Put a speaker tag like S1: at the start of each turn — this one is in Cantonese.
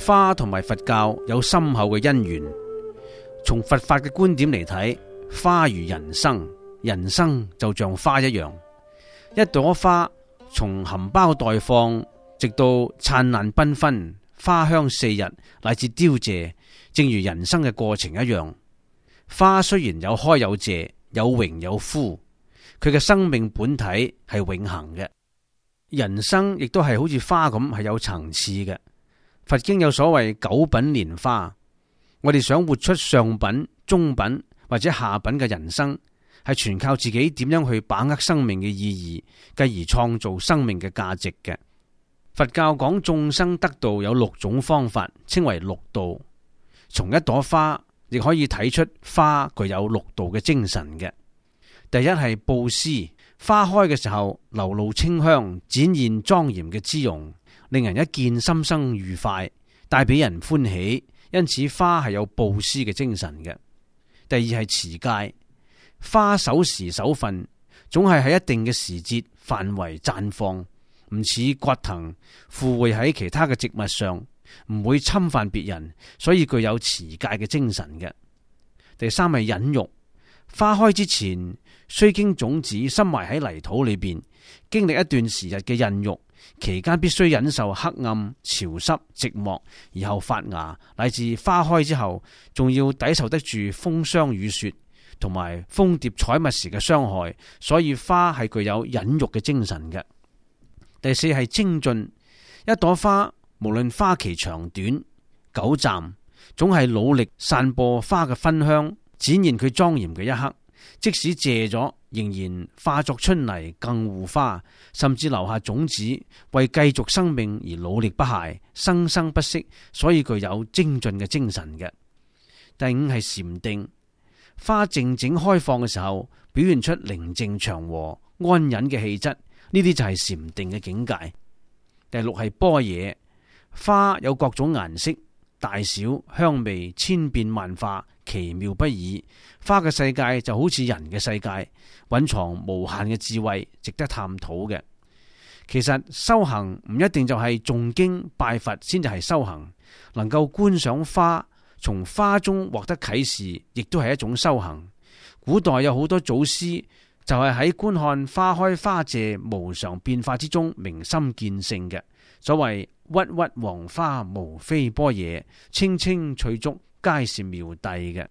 S1: 花同埋佛教有深厚嘅因緣。從佛法嘅觀點嚟睇，花如人生，人生就像花一樣。一朵花從含苞待放，直到燦爛繽紛，花香四日，乃至凋謝，正如人生嘅過程一樣。花雖然有開有謝，有榮有枯，佢嘅生命本體係永恆嘅。人生亦都係好似花咁，係有層次嘅。佛經有所謂九品蓮花，我哋想活出上品、中品或者下品嘅人生，係全靠自己點樣去把握生命嘅意義，繼而創造生命嘅價值嘅。佛教講眾生得道有6種方法，稱為六道。從一朵花亦可以睇出花具有6道嘅精神嘅。第一係布施，花開嘅時候流露清香，展現莊嚴嘅姿容，令人一見心生愉快，帶俾人歡喜，因此花係有布施嘅精神嘅。第二係持戒，花守時守分，總係喺一定嘅時節範圍綻放，唔似葛藤附會喺其他嘅植物上，唔會侵犯別人，所以具有持戒嘅精神嘅。第三係忍辱，花開之前須經種子深埋喺泥土裏邊，經歷一段時日嘅孕育，期間必須忍受黑暗、潮濕、寂寞，然後發芽，乃至花開之後，仲要抵受得住風霜雨雪同埋蜂蝶採蜜時嘅傷害，所以花係具有忍辱嘅精神嘅。第四係精進，一朵花無論花期長短、久暫，總係努力散播花嘅芬香，展現佢莊嚴嘅一刻。即使謝咗，仍然化作春泥更護花，甚至留下種子，為繼續生命而努力不懈，生生不息，所以具有精進嘅精神嘅。第五係禪定，花靜靜開放嘅時候，表現出寧靜祥和、安忍嘅氣質，呢啲就係禪定嘅境界。第六係般若，花有各種顏色、大小、香味，千變萬化，奇妙不已。花嘅世界就好似人嘅世界，蘊藏無限嘅智慧，值得探討嘅。其實修行唔一定就係誦經拜佛先至係修行，能夠觀賞花，從花中獲得啟示，亦都係一種修行。古代有好多祖師就係喺觀看花開花謝無常變化之中明心見性嘅。所謂鬱鬱黃花無非般若，青青翠竹皆是妙諦嘅。